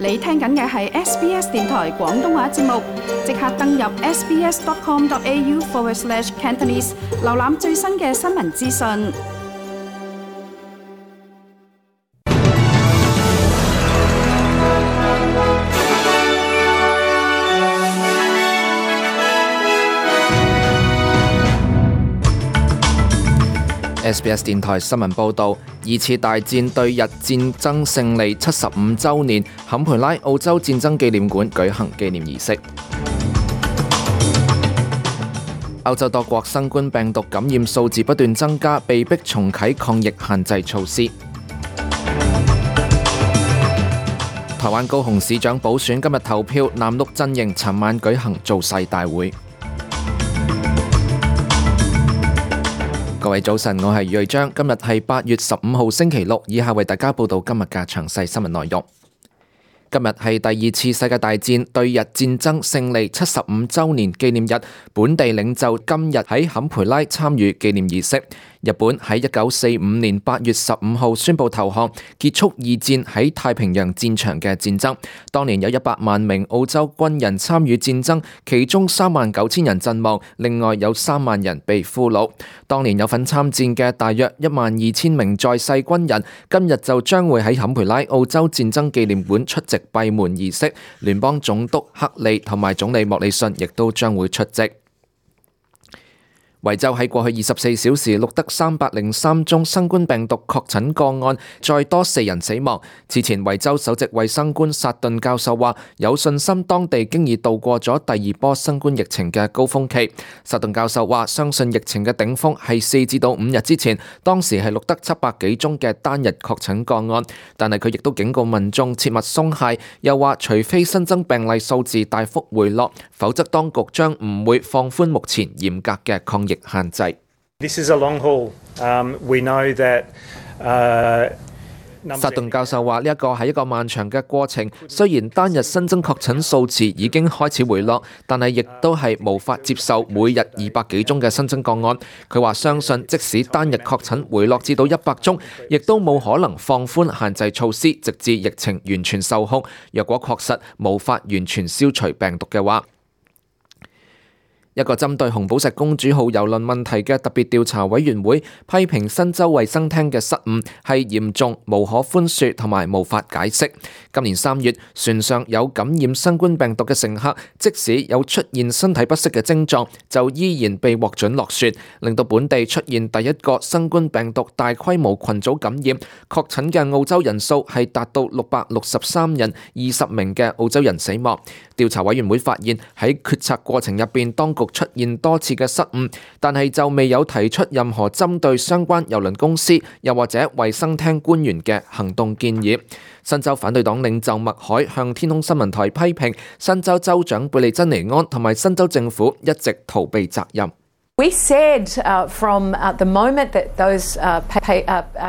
你聽緊嘅係 SBS 電台廣東話節目，即刻登入 sbs.com.au/Cantonese 瀏覽最新嘅新聞資訊。SBS 電台新聞報導，二次大戰對日戰爭勝利75週年，坎培拉澳洲戰爭紀念館舉行紀念儀式。歐洲多國新冠病毒感染數字不斷增加，被迫重啟抗疫限制措施。台灣高雄市長補選今日投票，藍綠陣營尋晚舉行造勢大會。各位早晨，我係瑞章，今日係8月15號星期六，以下為大家報道今日嘅詳細新聞內容。今日係第二次世界大戰對日戰爭勝利75週年紀念日，本地領袖今日喺坎培拉參與紀念儀式。日本喺1945年8月15號宣布投降，結束二戰喺太平洋戰場嘅戰爭。當年有100萬名澳洲軍人參與戰爭，其中39000人陣亡，另外有3萬人被俘虜。當年有份參戰嘅大約12000名在世軍人，今日就將會喺坎培拉澳洲戰爭紀念館出席閉門儀式。聯邦總督克利同埋總理莫里遜亦都將會出席。維州喺過去24小時錄得303宗新冠病毒確診個案，再多4人死亡。此前維州首席衛生官薩頓教授話，有信心當地經已度過咗第二波新冠疫情嘅高峰期。薩頓教授話，相信疫情嘅頂峰係4至5日之前，當時係錄得700幾宗嘅單日確診個案。但係佢亦都警告民眾切勿鬆懈，又話除非新增病例數字大幅回落，否則當局將唔會放寬目前嚴格嘅抗疫限制。This is a long haul. We know that. 薩頓教授話：呢一個係一個漫長嘅過程，雖然單日新增確診數字已經開始回落，但係亦都係無法接受每日200幾宗嘅新增個案。佢話相信即使單日確診回落至到100宗，亦都冇可能放寬限制措施，直至疫情完全受控。若果確實無法完全消除病毒嘅話，一個針對紅寶石公主號郵輪問題嘅特別調查委員會批評新州衛生廳嘅失誤係嚴重、無可寬恕同埋無法解釋。今年3月，船上有感染新冠病毒嘅乘客，即使有出現身體不適嘅症狀，就依然被獲准落船，令到本地出現第一個新冠病毒大規模群組感染。確診嘅澳洲人數係達到663人，20名嘅澳洲人死亡。調查委員會發現喺決策過程入邊，當局出現多次嘅失誤，但係就未有提出任何針對相關郵輪公司又或者衛生廳官員嘅行動建議。新州反對黨領袖麥凱向天空新聞台批評新州州長貝利珍尼安同埋新州政府一直逃避責任。We said from the moment that those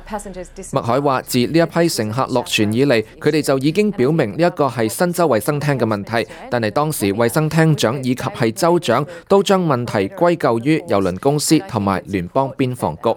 passengers disappeared. 麥凱話：自呢一批乘客落船以嚟，佢哋就已經表明呢一個係新州衛生廳嘅問題，但係當時衛生廳長以及係州長都將問題歸咎於郵輪公司同埋聯邦邊防局。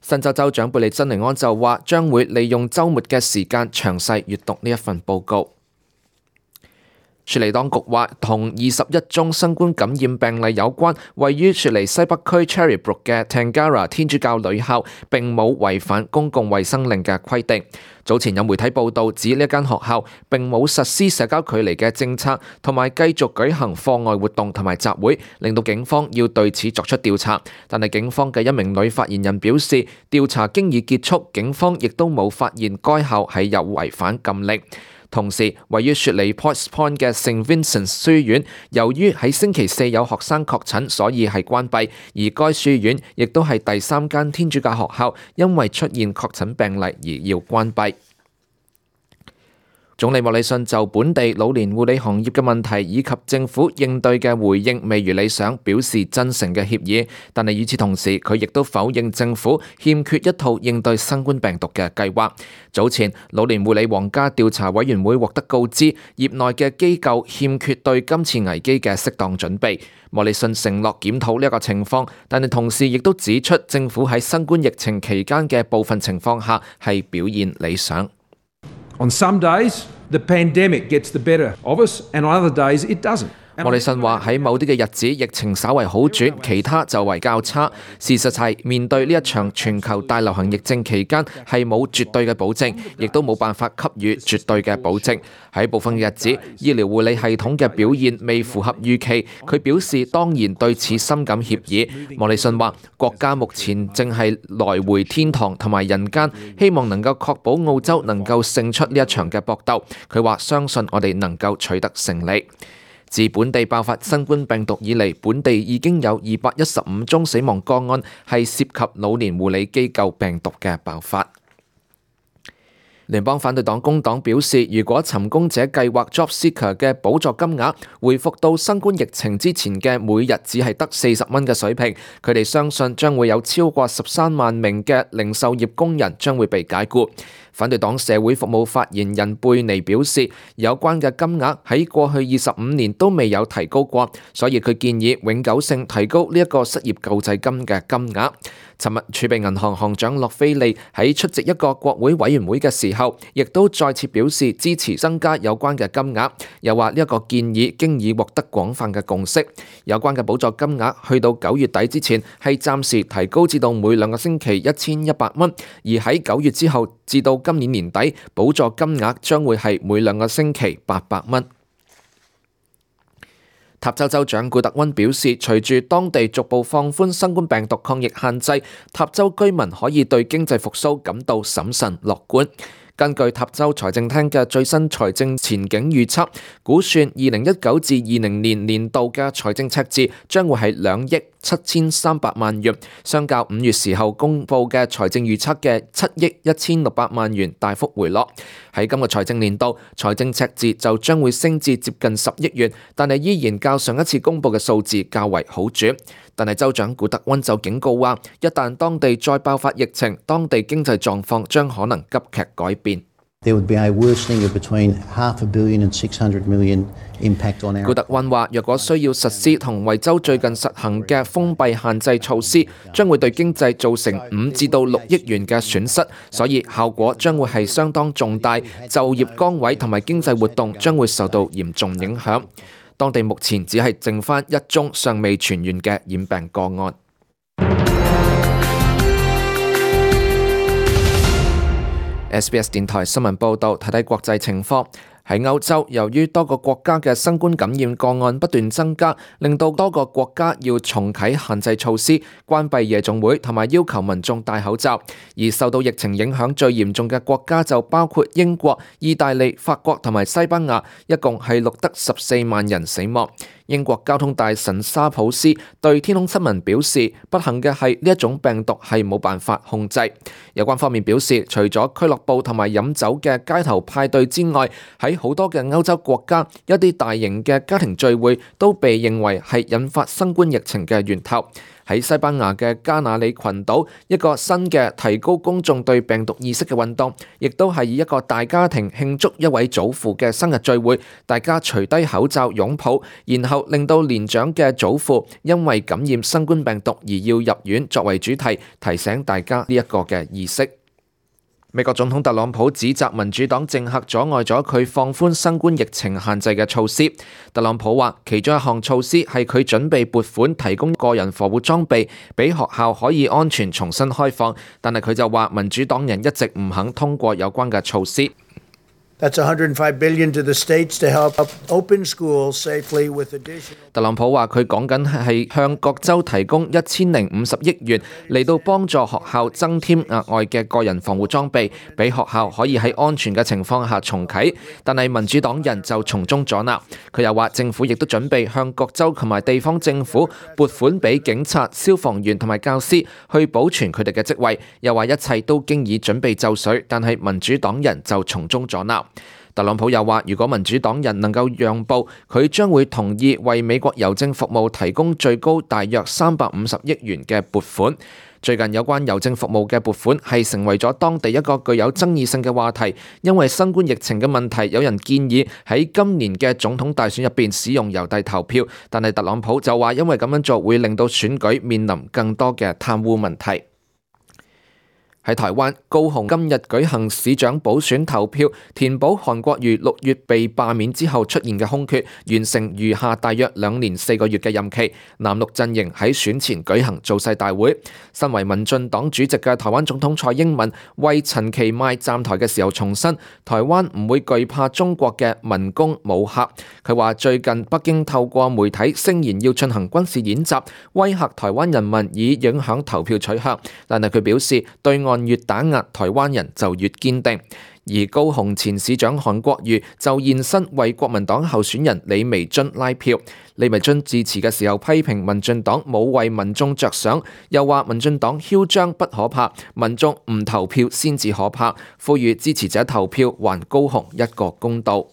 新州州長貝利珍尼安就話將會利用週末嘅時間詳細閱讀呢一份報告。雪梨當局話，同21宗新冠感染病例有關，位於雪梨西北區 Cherrybrook 嘅 Tangara 天主教女校並冇違反公共衛生令嘅規定。早前有媒體報道指呢間學校並冇實施社交距離嘅政策，同埋繼續舉行課外活動同埋集會，令到警方要對此作出調查。但係警方嘅一名女發言人表示，調查經已結束，警方亦都冇發現該校係有違反禁令。同時，位於雪梨 Potts Point 嘅聖 Vincent 書院，由於喺星期四有學生確診，所以係關閉。而該書院亦都係第3間天主教學校，因為出現確診病例而要關閉。總理莫里遜就本地老年護理行業嘅問題以及政府應對嘅回應未如理想，表示真誠嘅歉意。但係與此同時，佢亦都否認政府欠缺一套應對新冠病毒嘅計劃。早前，老年護理皇家調查委員會獲得告知，業內嘅機構欠缺對今次危機嘅適當準備。莫里遜承諾檢討呢一個情況，但係同時亦都指出政府喺新冠疫情期間嘅部分情況下係表現理想。On some days, The pandemic gets the better of us, and on other days it doesn't.莫里遜話喺某啲嘅日子疫情稍為好轉，其他就為較差。事實係面對呢一場全球大流行疫症期間係冇絕對嘅保證，亦都冇辦法給予絕對嘅保證。喺部分嘅日子，醫療護理系統嘅表現未符合預期。佢表示當然對此深感歉意。莫里遜話國家目前正係來回天堂同埋人間，希望能夠確保澳洲能夠勝出呢一場嘅搏鬥。佢話相信我哋能夠取得勝利。自本地爆發新冠病毒以嚟，本地已經有215宗死亡個案係涉及老年護理機構病毒嘅爆發。聯邦反對黨工黨表示，如果尋工者計劃 Job Seeker 嘅補助金額回復到新冠疫情之前嘅每日只係得40蚊嘅水平，佢哋相信將會有超過13萬名嘅零售業工人將會被解僱。反對黨社會服務發言人貝尼表示，有關嘅金額喺過去25年都未有提高過，所以佢建議永久性提高呢一個失業救濟金嘅金額。尋日儲備銀行行長洛菲利喺出席一個國會委員會嘅時候，亦都再次表示支持增加有關嘅金額，又話呢一個建議經已獲得廣泛嘅共識。有關嘅補助金額去到9月底之前係暫時提高至到每2個星期1100蚊，而喺9月之後至到今年年底，補助金額將會係每2個星期800蚊。塔州州長古特溫表示，隨住當地逐步放寬新冠病毒抗疫限制，塔州居民可以對經濟復甦感到審慎樂觀。根據塔州財政廳嘅最新財政前景預測，估算2019至20年年度嘅財政赤字將會係2億7300萬元，相較5月時候公佈嘅財政預測嘅7億1600萬元大幅回落。喺今個財政年度，財政赤字就將會升至接近10億元，但係依然較上一次公佈嘅數字較為好轉。但係州長古特溫就警告話，一旦當地再爆發疫情，當地經濟狀況將可能急劇改變。古特溫話，若果需要實施同維州最近實行嘅封閉限制措施，將會對經濟造成5至到6億元嘅損失，所以效果將會係相當重大，就業崗位同埋經濟活動將會受到嚴重影響。當地目前只係剩返1宗尚未痊癒嘅染病個案。SBS 電台新聞報導，睇睇國際情況。喺歐洲，由於多個國家嘅新冠感染個案不斷增加，令到多個國家要重啟限制措施，關閉夜總會同埋要求民眾戴口罩。而受到疫情影響最嚴重嘅國家就包括英國、意大利、法國同埋西班牙，一共係錄得14萬人死亡。英國交通大臣沙普斯對天空新聞表示，不幸嘅係呢一種病毒係冇辦法控制。有關方面表示，除咗俱樂部同埋飲酒嘅街頭派對之外，喺好多嘅歐洲國家，一啲大型嘅家庭聚會都被認為係引發新冠疫情嘅源頭。喺西班牙嘅加那利群島，一個新嘅提高公眾對病毒意識嘅運動，亦都係以一個大家庭慶祝一位祖父嘅生日聚會，大家除低口罩擁抱，然後令到年長嘅祖父因為感染新冠病毒而要入院作為主題，提醒大家呢一個嘅意識。美國總統特朗普指責民主黨政客阻礙咗佢放寬新冠疫情限制嘅措施。特朗普話，其中一項措施係佢準備撥款提供個人防護裝備，俾學校可以安全重新開放。但係佢就話，民主黨人一直唔肯通過有關嘅措施。That's $105 billion to the states to help open schools safely with additional. 特朗普話佢講緊係向各州提供1050億元嚟到幫助學校增添額外嘅個人防護裝備，俾學校可以喺安全嘅情況下重啟。但係民主黨人就從中阻撓。佢又話政府亦都準備向各州同埋地方政府撥款俾警察、消防員同埋教師去保存佢哋嘅職位。又話一切都經已準備就緒，但係民主黨人就從中阻撓。特朗普又話，如果民主黨人能夠讓步，佢將會同意為美國郵政服務提供最高大約350億元嘅撥款。最近有關郵政服務嘅撥款係成為咗當地一個具有爭議性嘅話題，因為新冠疫情嘅問題，有人建議喺今年嘅總統大選入邊使用郵遞投票，但係特朗普就話因為咁樣做會令到選舉面臨更多嘅貪污問題。喺台灣高雄今日舉行市長補選投票，填補韓國瑜6月被罷免之後出現嘅空缺，完成餘下大約2年4個月嘅任期。藍綠陣營喺選前舉行造勢大會。身為民進黨主席嘅台灣總統蔡英文為陳其邁站台嘅時候重申，台灣唔會懼怕中國嘅文攻武嚇。佢話最近北京透過媒體聲言要進行軍事演習，威嚇台灣人民以影響投票取向，但係佢表示對岸越打壓台灣人就越堅定。而高雄前市長韓國瑜就現身為國民黨候選人李眉蓁拉票。李眉蓁致辭嘅時候批評民進黨冇為民眾着想，又話民進黨囂張不可怕，民眾唔投票先至可怕，呼籲支持者投票還高雄一個公道。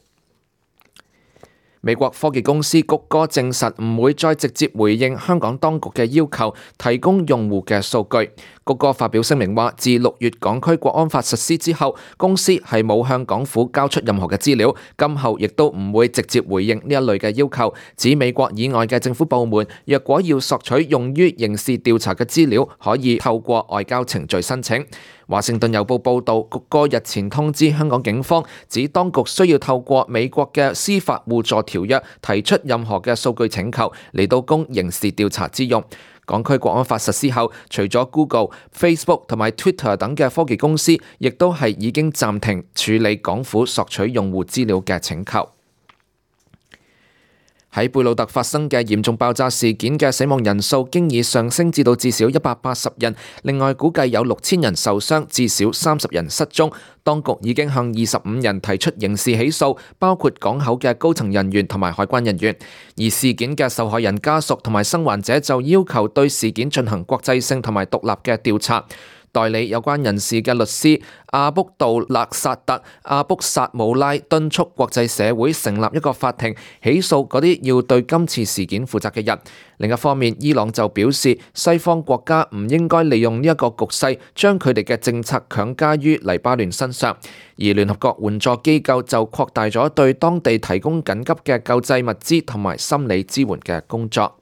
美國科技公司谷歌證實唔會再直接回應香港當局嘅要求，提供用戶嘅數據。谷歌發表聲明話，自6月港區國安法實施之後，公司係冇向港府交出任何嘅資料，今後亦都唔會直接回應呢一類嘅要求。指美國以外嘅政府部門若果要索取用於刑事調查嘅資料，可以透過外交程序申請。華盛頓郵報報導，谷歌日前通知香港警方，指當局需要透過美國嘅司法互助條約提出任何嘅數據請求嚟到供刑事調查之用。港區國安法實施後，除咗 Google、Facebook 同埋 Twitter 等嘅科技公司，亦都係已經暫停處理港府索取用戶資料嘅請求。喺貝魯特發生嘅嚴重爆炸事件嘅死亡人數經已上升至到至少180人，另外估計有6000人受傷，至少30人失蹤。當局已經向25人提出刑事起訴，包括港口嘅高層人員同埋海關人員。而事件嘅受害人家屬同埋生還者就要求對事件進行國際性同埋獨立嘅調查。代理有關人士嘅律師阿卜杜勒薩特阿卜薩姆拉敦促國際社會成立一個法庭，起訴嗰啲要對今次事件負責嘅人。另一方面，伊朗就表示西方國家唔應該利用呢一個局勢，將佢哋嘅政策強加於黎巴嫩身上。而聯合國援助機構就擴大咗對當地提供緊急嘅救濟物資同埋心理支援嘅工作。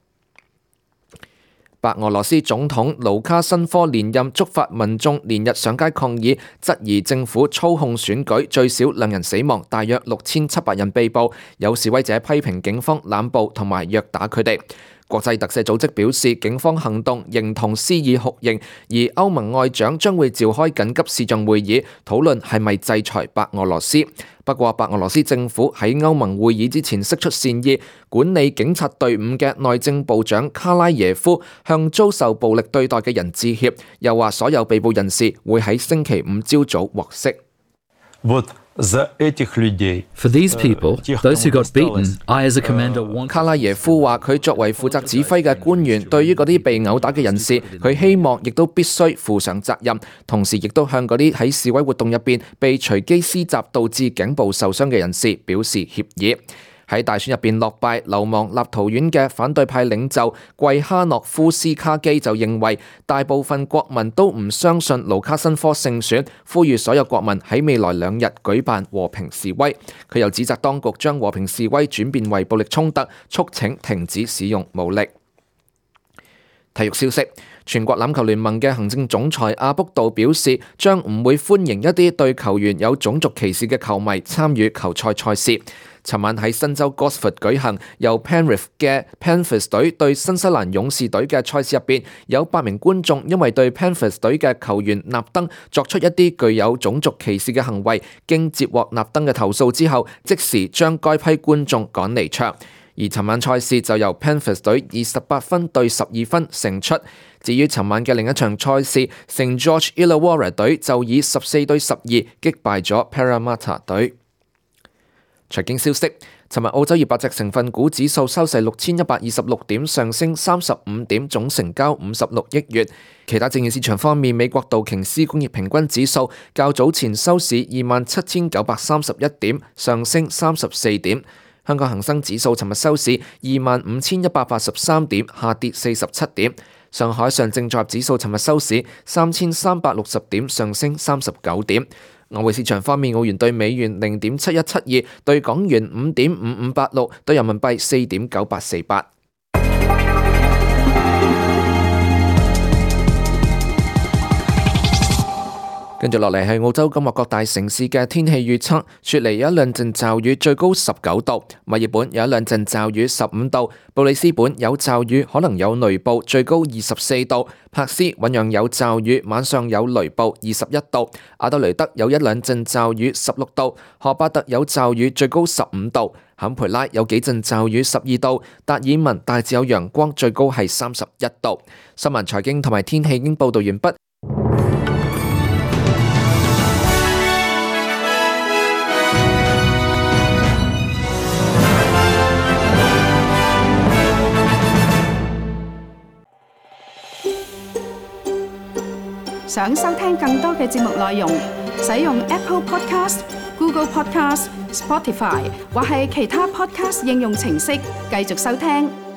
白俄羅斯總統盧卡申科連任，觸發民眾連日上街抗議，質疑政府操控選舉，最少2人死亡，大約6700人被捕。有示威者批評警方濫捕同埋虐打佢哋。國際特赦組織表示，警方行動形同施以酷刑，而歐盟外長將會召開緊急視像會議，討論係咪制裁白俄羅斯。不過，白俄羅斯政府喺歐盟會議之前釋出善意，管理警察隊伍嘅內政部長卡拉耶夫向遭受暴力對待嘅人致歉，又話所有被捕人士會喺星期5朝早獲釋。For these people, those who got beaten, I as a commander want... 卡拉耶夫話佢作為負責指揮嘅官員，對於嗰啲被毆打嘅人士，佢希望亦都必須負上責任，同時亦都向嗰啲喺示威活動入邊被隨機施襲導致頸部受傷嘅人士表示歉意。喺大選入邊落敗流亡立陶宛嘅反對派領袖季哈諾夫斯卡基就認為，大部分國民都唔相信盧卡申科勝選，呼籲所有國民喺未來2日舉辦和平示威。佢又指責當局將和平示威轉變為暴力衝突，促請停止使用武力。體育消息，全國欖球聯盟嘅行政總裁阿卜杜表示，將唔會歡迎一啲對球員有種族歧視嘅球迷參與球賽賽事。尋晚喺新州 Gosford 舉行由 Penrith 嘅 Panthers 隊對新西蘭勇士隊嘅賽事入邊，有8名觀眾因為對 Panthers 隊嘅球員納登作出一啲具有種族歧視嘅行為，經接獲納登嘅投訴之後，即時將該批觀眾趕離場。而尋晚賽事就由 Panthers 隊以18分對12分勝出。至於尋晚嘅另一場賽事，St George Illawarra 隊就以14對12擊敗咗 Parramatta 隊。財經消息，尋日澳洲200隻成分股指數收市6126點，上升35點，總成交56億元。其他證券市場方面，美國道瓊斯工業平均指數較早前收市27931點，上升34點。香港恒生指數尋日收市25183點，下跌47點。上海上證綜合指數尋日收市3360點，上升39點。外匯市場方面，澳元對美元0.7172，對港元5.5586，對人民幣4.9848。跟住落嚟係澳洲今日各大城市嘅天氣預測，雪梨有一兩陣驟雨，最高19度；墨爾本有一兩陣驟雨，15度；布里斯本有驟雨，可能有雷暴，最高24度；珀斯醞釀有驟雨，晚上有雷暴，21度；阿德雷德有一兩陣驟雨，16度；荷巴特有驟雨，最高15度；坎培拉有幾陣驟雨，12度；達爾文大致有陽光，最高係31度。新聞、財經同埋天氣已經報道完畢。想收聽更多嘅節目內容，使用 Apple Podcast、Google Podcast、Spotify 或係其他 Podcast 應用程式繼續收聽。